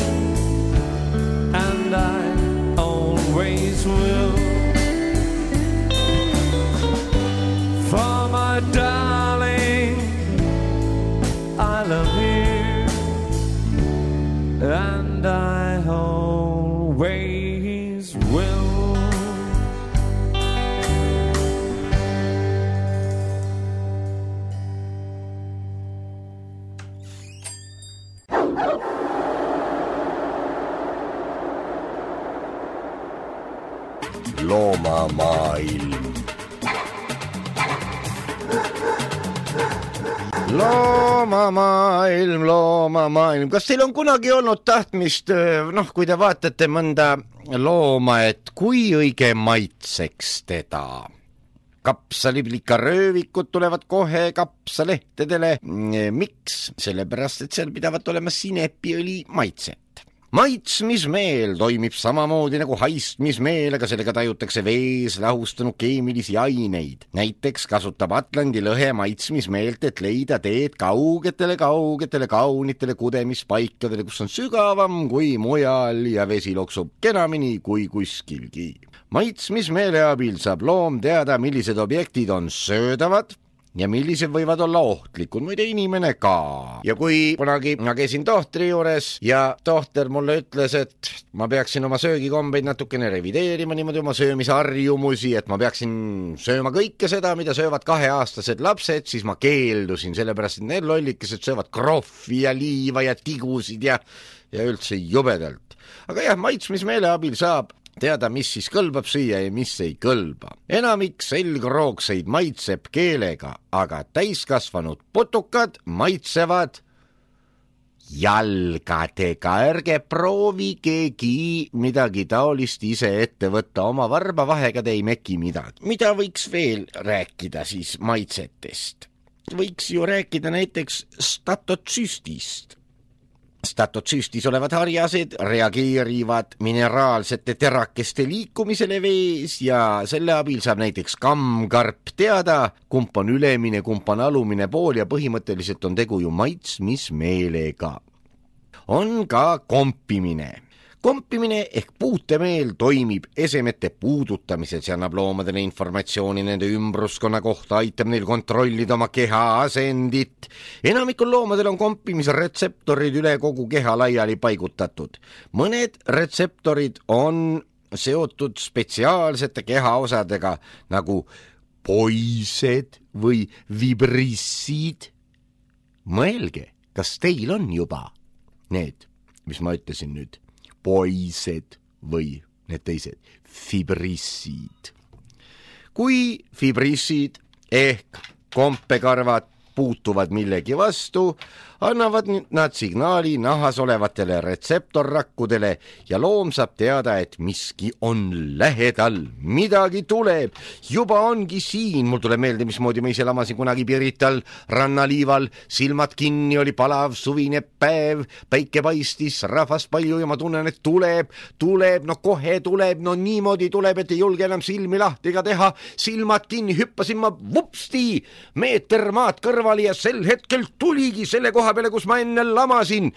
and I always will. For my darling, I love you, and I always will. Loomamaailm. Loomamaailm, loomamaailm. Kas teil on kunagi olnud tahtmist, kui te vaatate mõnda looma, et kui õige maitseks teda? Kapsaliplikaröövikud tulevad kohe kapsalehtedele. Miks? Sellepärast, et seal pidavat olema sinepiõli maitset. Maitsmismeel toimib samamoodi nagu haistmismeel, aga sellega tajutakse vees lahustunud keemilisi aineid. Näiteks kasutab Atlandi lõhe maitsmismeelt, et leida teed kaugetele kaunitele kudemispaikadele, kus on sügavam kui mujal ja vesi loksub kenamini kui kuskilgi. Maitsmismeele abil saab loom teada, millised objektid on söödavad ja millised võivad olla ohtlikud, muide inimene ka. Ja kui kunagi ma käisin tohtri juures ja tohter mulle ütles, et ma peaksin oma söögikombeid natukene revideerima, niimoodi oma söömisharjumusi, et ma peaksin sööma kõike seda, mida söövad 2-aastased lapsed, siis ma keeldusin, sellepärast et need lollikesed söövad krohvi ja liiva ja tigusid ja üldse jubedalt. Aga jah, maitsmismeele abil saab teada, mis siis kõlbab süüa ja mis ei kõlba. Enamik selgroogseid maitseb keelega, aga täiskasvanud putukad maitsevad jalgadega. Ärge proovigegi midagi taolist ise ette võtta, oma varbavahega te ei meki midagi. Mida võiks veel rääkida siis maitsetest? Võiks ju rääkida näiteks statotsüstist. Statotsüstis olevad harjased reageerivad mineraalsete terakeste liikumisele vees ja selle abil saab näiteks kammkarp teada, kump on ülemine, kump on alumine pool ja põhimõtteliselt on tegu ju maitsmismeelega. On ka kompimine. Kompimine ehk puutemeel toimib esemete puudutamisel, see annab loomadele informatsiooni nende ümbruskonna kohta, aitab neil kontrollida oma keha asendit. Enamikul loomadel on kompimisretseptorid üle kogu keha laiali paigutatud. Mõned retseptorid on seotud spetsiaalsete kehaosadega nagu poised või vibrissid. Mõelge, kas teil on juba need, mis ma ütlesin nüüd? Poised või need teised, fibrissid. Kui fibrissid ehk kompekarvad puutuvad millegi vastu, annavad nad signaali nahas olevatele retseptorrakkudele ja loom saab teada, et miski on lähedal, midagi tuleb, juba ongi siin. Mul tuleb meelde, mismoodi ma ise lamasin kunagi Pirital rannaliival, silmad kinni, oli palav suvine päev, päike paistis, rahvast palju ja ma tunnen, et tuleb, no kohe tuleb, no niimoodi tuleb, et ei julge enam silmi lahti ega teha, silmad kinni, hüppasin ma vupsti, meeter maad kõrvali ja sel hetkel tuligi selle koha peale, kus ma enne lamasin,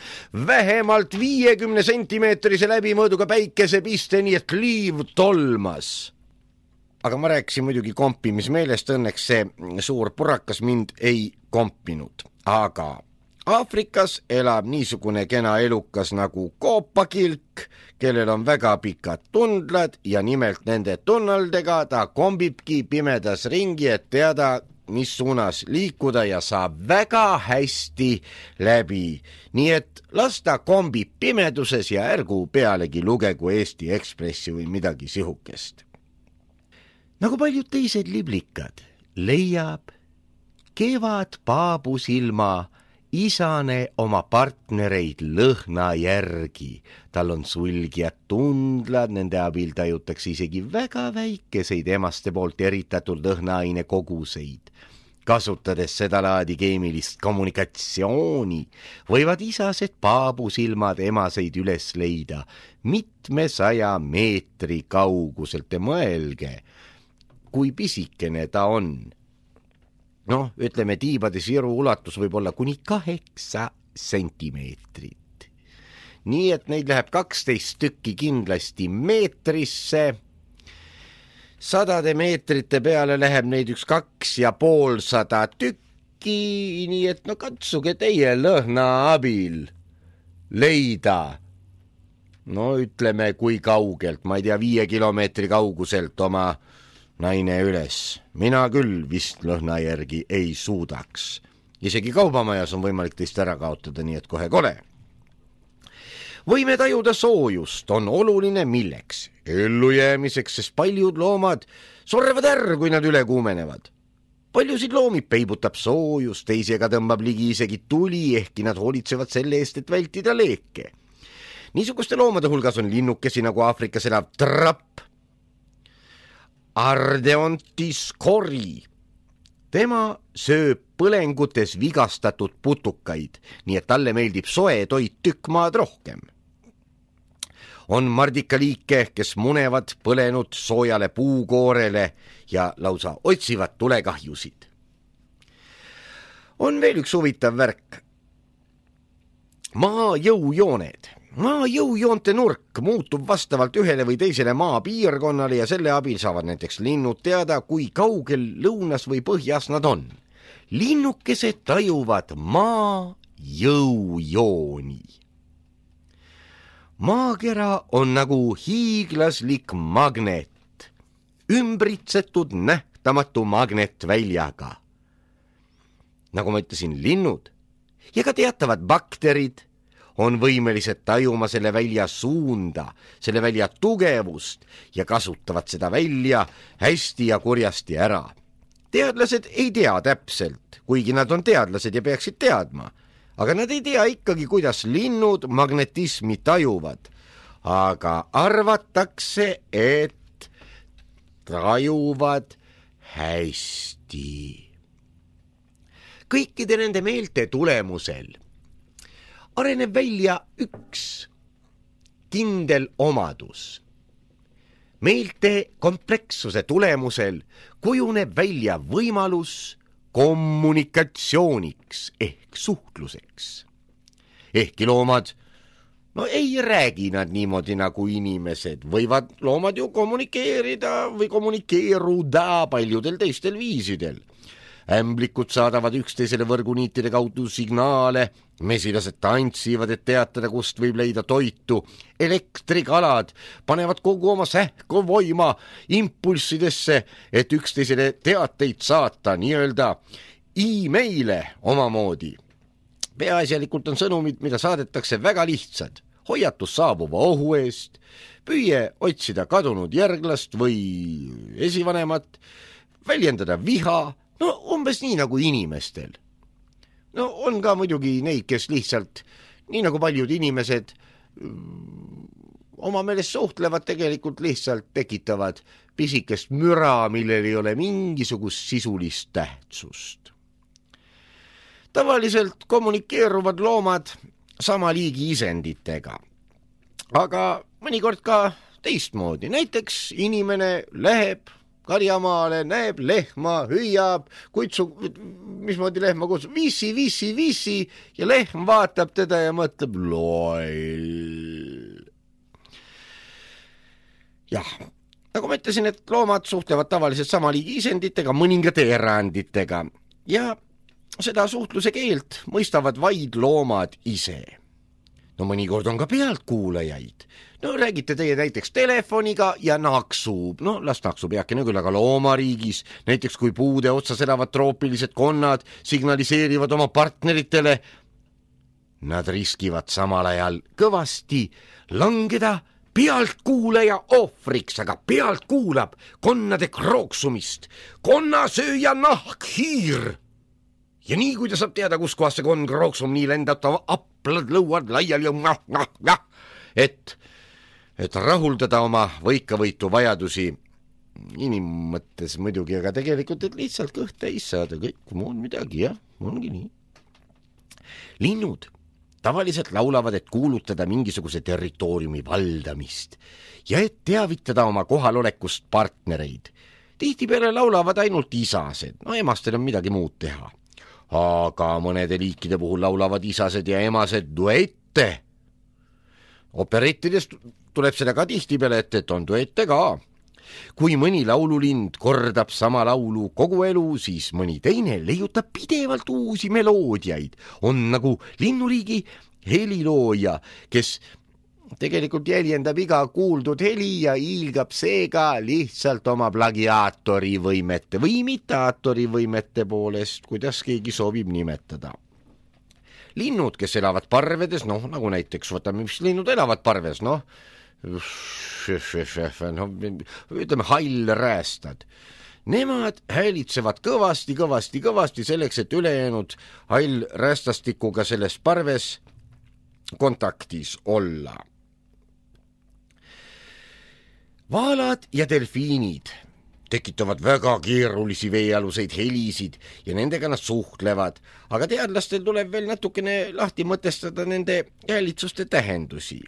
vähemalt 50 sentimeetrise läbimõõduga päikesepiste, nii et liiv tolmas. aga ma rääkisin muidugi kompimismeelest, õnneks see suur purakas mind ei kompinud. Aga Aafrikas elab niisugune kena elukas nagu koopakilk, kellel on väga pikad tundlad ja nimelt nende tunnaldega ta kombibki pimedas ringi, et teada, mis suunas liikuda ja saab väga hästi läbi. Nii et las ta kombib pimeduses ja ärgu pealegi lugegu Eesti Ekspressi või midagi sihukest. Nagu paljud teised liblikad, leiab kevad paabusilma isane oma partnereid lõhna järgi. Tal on sulgjad tundlad, nende abil tajutakse isegi väga väikeseid emaste poolt eritatud lõhnaaine koguseid. Kasutades seda laadi keemilist kommunikatsiooni, võivad isased paabusilmad emaseid üles leida 100 meetri kauguselt ja mõelge, kui pisikene ta on. Noh, ütleme, tiibade siru ulatus võib olla kuni 8 sentimeetrit. Nii et neid läheb 12 tükki kindlasti meetrisse. 100 meetrite peale läheb neid 250 tükki, nii et no katsuge teie lõhna abil leida. No ütleme, kui kaugelt, ma ei tea, 5 kilomeetri kauguselt oma naine üles. Mina küll vist lõhna järgi ei suudaks. Isegi kaubamajas on võimalik teist ära kaotada, nii et kohe kole. Võime tajuda soojust on oluline milleks? Ellujäämiseks, sest paljud loomad surrevad ära, kui nad üle kuumenevad. Paljusid loomi peibutab soojus, teisega tõmbab ligi isegi tuli, ehkki nad hoolitsevad selle eest, et vältida leeke. Niisuguste loomade hulgas on linnukesi nagu Aafrikas elav trapp, Ardeontis kori. Tema sööb põlengutes vigastatud putukaid, nii et talle meeldib soe toit tükk maad rohkem. On mardikaliike, kes munevad põlenud soojale puukoorele ja lausa otsivad tulekahjusid. On veel üks huvitav värk. Maa jõujooned. Maa jõujoonte nurk muutub vastavalt ühele või teisele maapiirkonnale ja selle abil saavad näiteks linnud teada, kui kaugel lõunas või põhjas nad on. Linnukesed tajuvad maa jõujooni. Maakera on nagu hiiglaslik magnet, ümbritsetud nähtamatu magnetväljaga. Nagu ma ütlesin, linnud ja ka teatavad bakterid on võimelised tajuma selle välja suunda, selle välja tugevust ja kasutavad seda välja hästi ja kurjasti ära. Teadlased ei tea täpselt, kuigi nad on teadlased ja peaksid teadma, aga nad ei tea ikkagi, kuidas linnud magnetismi tajuvad. Aga arvatakse, et tajuvad hästi. Kõikide nende meelte tulemusel areneb välja üks kindel omadus. Meelte komplekssuse tulemusel kujuneb välja võimalus kommunikatsiooniks ehk suhtluseks. Ehkki loomad, no ei räägi nad niimoodi nagu inimesed, võivad loomad ju kommunikeerida või kommunikeeruda paljudel teistel viisidel. Ämblikud saadavad üksteisele võrguniitide kaudu signaale, mesilased tantsivad, et teatada, kust võib leida toitu, elektrikalad panevad kogu oma sähkovoima impulssidesse, et üksteisele teateid saata, nii-öelda e-maile omamoodi. Peaasjalikult on sõnumid, mida saadetakse väga lihtsad. Hoiatus saabuva ohu eest, püüe otsida kadunud järglast või esivanemat, väljendada viha, no umbes nii nagu inimestel. No on ka muidugi neid, kes lihtsalt, nii nagu paljud inimesed, oma meelest suhtlevad, tegelikult lihtsalt tekitavad pisikest müra, millel ei ole mingisugust sisulist tähtsust. Tavaliselt kommunikeeruvad loomad sama liigi isenditega, aga mõnikord ka teistmoodi. Näiteks inimene läheb karjamaale, näeb lehma, hüüab, mismoodi lehma kutsub, viisi ja lehm vaatab teda ja mõtleb loll. Jah, nagu ma ütlesin, et loomad suhtlevad tavaliselt sama liigi isenditega, mõningate eranditega ja seda suhtluse keelt mõistavad vaid loomad ise. No mõnikord on ka pealtkuulajaid. No räägite teie näiteks telefoniga ja naksub. No las naksub heakene küll, aga loomariigis, näiteks kui puude otsas elavad troopilised konnad signaliseerivad oma partneritele, nad riskivad samal ajal kõvasti langeda pealtkuulaja ohvriks, aga pealt kuulab konnade krooksumist. Konnasööja nahkhiir! Ja nii, kui ta saab teada, kus kohas see konn krooksum, nii lendab ta aplad lõuad laiali ja et rahuldada oma võikavõitu vajadusi inimmõttes muidugi, aga tegelikult, et lihtsalt kõht täis saada, kõik muud midagi, jah, ongi nii. Linnud tavaliselt laulavad, et kuulutada mingisuguse territooriumi valdamist ja et teavitada oma kohalolekust partnereid. Tihtipeale laulavad ainult isased, no emastel on midagi muud teha. Aga mõnede liikide puhul laulavad isased ja emased duette. Operettides tuleb seda ka tihtipeale, et on duette ka. Kui mõni laululind kordab sama laulu kogu elu, siis mõni teine leiutab pidevalt uusi meloodiaid. On nagu linnuriigi helilooja, kes tegelikult jäljendab iga kuuldud heli ja hiilgab seega lihtsalt oma plagiaatori võimete või imitaatori võimete poolest, kuidas keegi soovib nimetada. Linnud, kes elavad parvedes, nagu näiteks, võtame, mis linnud elavad parves, ütleme hallräästad. Nemad häälitsevad kõvasti selleks, et ülejäänud hallräästastikuga selles parves kontaktis olla. Vaalad ja delfiinid tekitavad väga keerulisi veealuseid helisid ja nendega nad suhtlevad, aga teadlastel tuleb veel natukene lahti mõtestada nende häälitsuste tähendusi.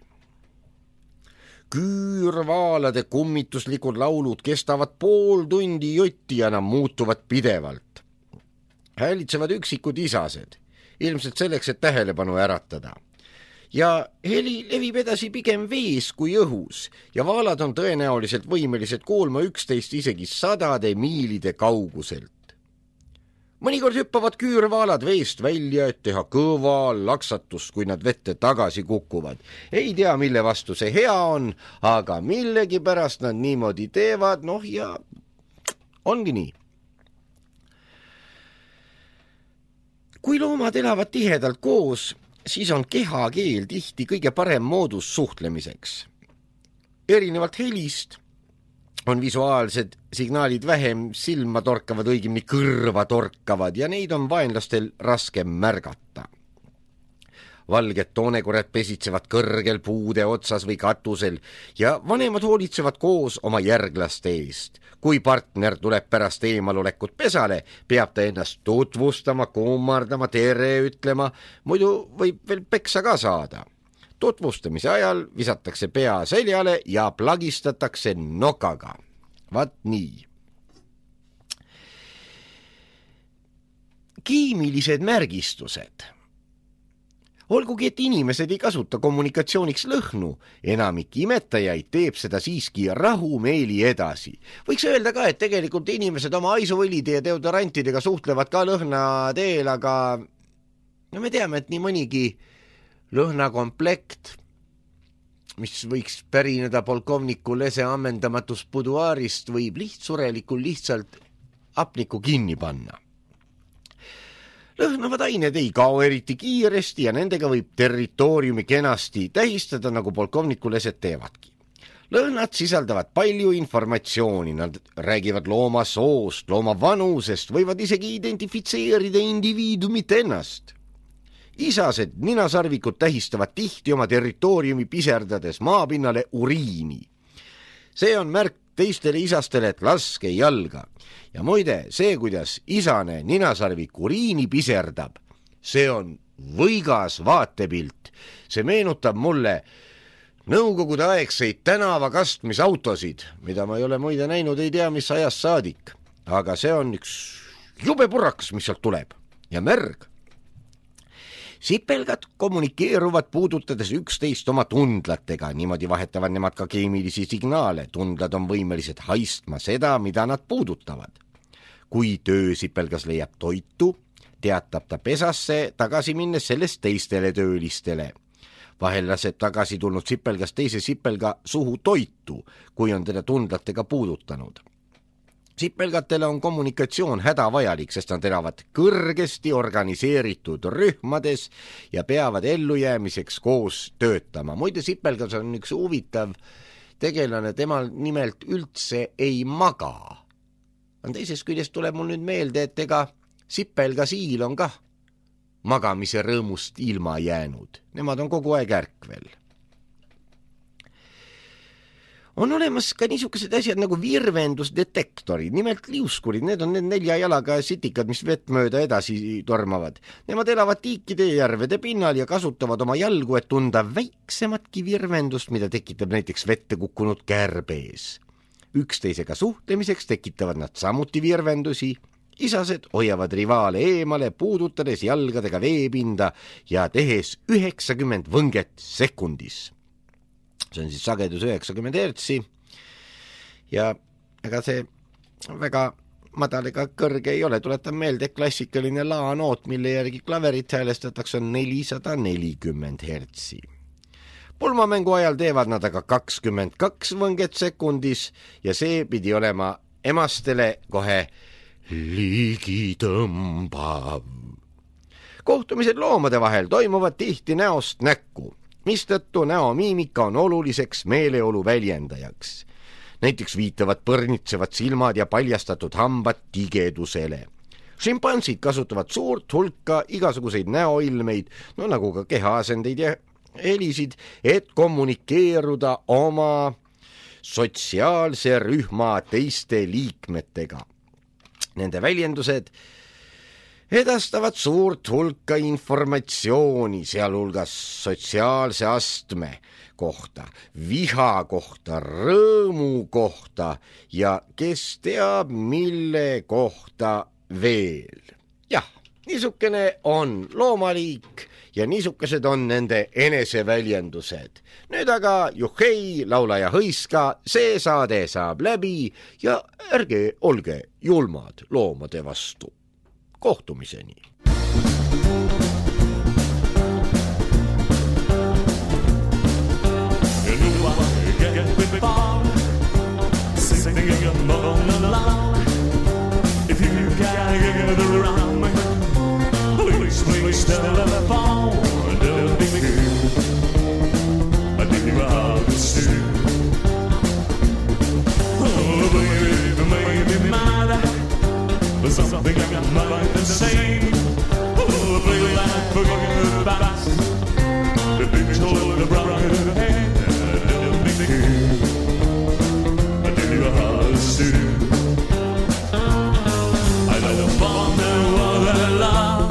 Küürvaalade kummituslikud laulud kestavad pool tundi jotti ja nad muutuvad pidevalt. Häälitsevad üksikud isased, ilmselt selleks, et tähelepanu äratada. Ja heli levib edasi pigem vees kui õhus ja vaalad on tõenäoliselt võimelised kuulma 11 isegi 100 miilide kauguselt. Mõnikord hüppavad küürvaalad veest välja, et teha kõva laksatust, kui nad vette tagasi kukuvad. Ei tea, mille vastu see hea on, aga millegipärast nad niimoodi teevad, ja ongi nii. Kui loomad elavad tihedalt koos, siis on kehakeel tihti kõige parem moodus suhtlemiseks. Erinevalt helist on visuaalsed signaalid vähem silma torkavad, õigemini kõrva torkavad ja neid on vaenlastel raskem märgata. Valged toonekorjad pesitsevad kõrgel puude otsas või katusel ja vanemad hoolitsevad koos oma järglaste eest. Kui partner tuleb pärast eemalolekut pesale, peab ta ennast tutvustama, kummardama, tere ütlema, muidu võib veel peksa ka saada. Tutvustamise ajal visatakse pea seljale ja plagistatakse nokaga. Vaat nii. Kiimilised märgistused. Olgugi, et inimesed ei kasuta kommunikatsiooniks lõhnu, enamik imetajaid teeb seda siiski rahumeeli edasi. Võiks öelda ka, et tegelikult inimesed oma aisuvõlide ja deodorantidega suhtlevad ka lõhna teel, aga me teame, et nii mõnigi lõhnakomplekt, mis võiks pärineda polkovniku Lese ammendamatus buduaarist, võib lihtsurelikul lihtsalt hapniku kinni panna. Lõhnavad ained ei kao eriti kiiresti ja nendega võib territooriumi kenasti tähistada, nagu polkovniku Lesed teevadki. Lõhnad sisaldavad palju informatsiooni, nad räägivad looma soost, looma vanusest, võivad isegi identifitseerida indiviidumit ennast. Isased ninasarvikud tähistavad tihti oma territooriumi piserdades maapinnale uriini. See on märk teistele isastele, et laske jalga. Ja muide, see, kuidas isane ninasarvik uriini piserdab, see on võigas vaatepilt. See meenutab mulle nõukogude aegseid tänavakastmisautosid, mida ma ei ole muide näinud, ei tea, mis ajast saadik. Aga see on üks jube purakas, mis sealt tuleb ja märg. Sipelgad kommunikeeruvad puudutades üksteist oma tundlatega, niimoodi vahetavad nemad ka keemilisi signaale. Tundlad on võimelised haistma seda, mida nad puudutavad. Kui töösipelgas leiab toitu, teatab ta pesasse tagasi minnes sellest teistele töölistele. Vahel laseb tagasi tulnud sipelgas teise sipelga suhu toitu, kui on teda tundlatega puudutanud. Sipelgatele on kommunikatsioon hädavajalik, sest nad elavad kõrgesti organiseeritud rühmades ja peavad ellujäämiseks koos töötama. Muide, sipelgas on üks huvitav tegelane, temal nimelt üldse ei maga. Teisest küljest tuleb mul nüüd meelde, et ega sipelgasiil on kah magamise rõõmust ilma jäänud. Nemad on kogu aeg ärkvel. On olemas ka niisugused asjad nagu virvendusdetektorid, nimelt liuskurid. Need on need 4 jalaga sitikad, mis vett mööda edasi tormavad. Nemad elavad tiikide ja järvede pinnal ja kasutavad oma jalgu, et tunda väiksematki virvendust, mida tekitab näiteks vette kukkunud kärbees. Üksteisega suhtlemiseks tekitavad nad samuti virvendusi. Isased hoiavad rivaale eemale, puudutades jalgadega veepinda ja tehes 90 võnget sekundis. See on siis sagedus 90 hertsi ja ega see väga madal ega kõrge ei ole. Tuletan meelde, klassikaline laanoot, mille järgi klaverit häälestatakse, on 440 hertsi. Pulmamängu ajal teevad nad aga 22 võnget sekundis ja see pidi olema emastele kohe ligitõmbav. Kohtumised loomade vahel toimuvad tihti näost näkku, mistõttu näomiimika on oluliseks meeleolu väljendajaks. Näiteks viitavad põrnitsevad silmad ja paljastatud hambad tigedusele. Šimpansid kasutavad suurt hulka igasuguseid näoilmeid, nagu ka kehaasendeid ja helisid, et kommunikeeruda oma sotsiaalse rühma teiste liikmetega. Nende väljendused edastavad suurt hulka informatsiooni, sealhulgas sotsiaalse astme kohta, viha kohta, rõõmu kohta ja kes teab, mille kohta veel. Jah, niisugune on loomaliik ja niisugused on nende eneseväljendused. Nüüd aga juhhei, laula ja hõiska, see saade saab läbi ja ärge olge julmad loomade vastu. Kohtumiseni. Something I'm not the same. Oh, play like forget the past. The big told the brother head. I did you a house too. I don't wonder what I love.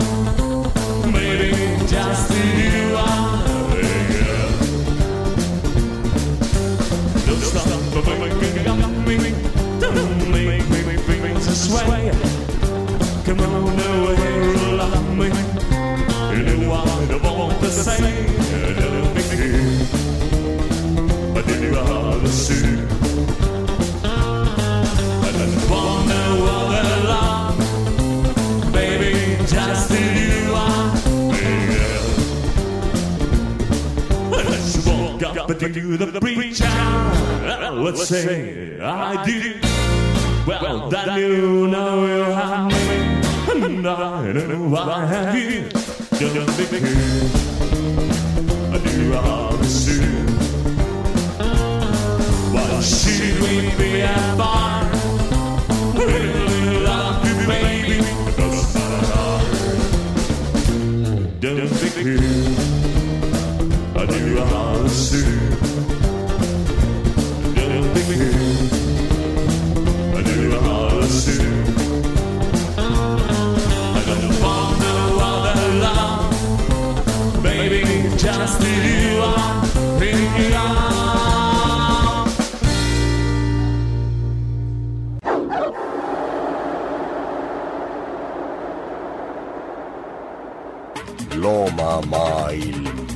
Maybe just you are. Don't stop for making up me. Don't make me feel this way. Come on away, love me. You know I don't want to say. Don't be here. I did you all the same. I don't want no other love. Baby, just you are. Let's walk up to the preacher. Let's say I did. Well, that you know you have me. And I know I have you. Don't be here. I do all the same. Why should we be at bar? Really love you, baby. Don't be here. I do all the same. Don't be here. I do all the same. Just you are bringing on. loomamaailm.